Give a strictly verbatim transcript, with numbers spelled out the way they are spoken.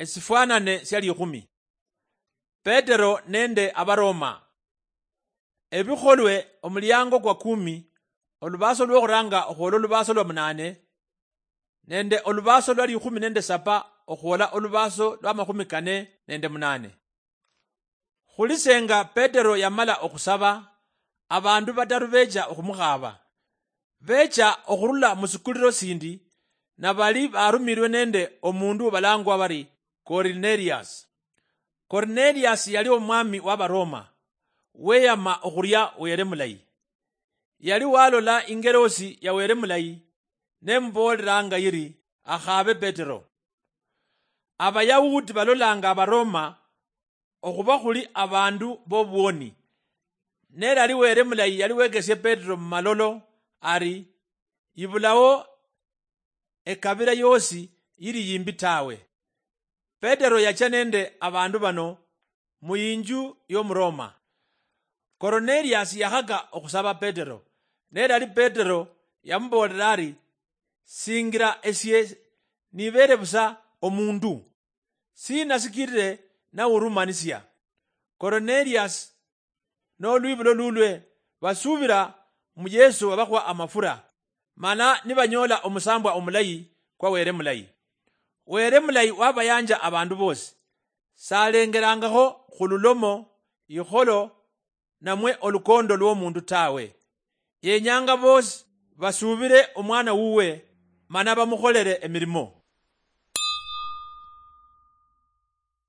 Esifwanane sia likhumi. Petero nende Abaroma. Ebikholwe, omuliango kwa kumi, olubaaso lwokhuranga okhwola olubaaso lwa munane, nende olubaaso lwa likhumi nende sapa okhwola olubaaso lwa makhumi kane nende munane. Khulisenga Petero yamala okhusaba, abandu bataru becha okhumukhaaba. Becha okhurula musikuliro sindi, nabali barumirwe nende omundu obalangwa bari Kornelius. Kornelius yali omwami wa Baroma, weyama okhuria Were Mulayi. Yali walola ingerosi ya Were Mulayi, nemuboolelanga yiri akhaabe Petero. Abayahudi balolanga Abaroma okhuba khuli abandu bobwoni. Nerali Were Mulayi yali wekesie Petero mumalolo ari, ibulao ekabila yosi yili yimbi tawe. Petero yacha nende abandu bano muyinju yomuroma. Kornelius yakhaka okhusaba Petero, nerali Petero yamuboolera ari, singira esie nibere busa omundu, sina sikirire nawurumanisia? Kornelius nolwibulo lulwe basubira mu Yesu wabakhwa amafura, mana nibanyoola omusambwa omulayi kwa Were Mulayi. Were Mulayi wabayanja abandu bosi, salengerangakho khululomo, ikholo, namwe olukondo lwomundu tawe. Yenyanga bosi basubire omwana wuwe, mana bamukholere emirimo.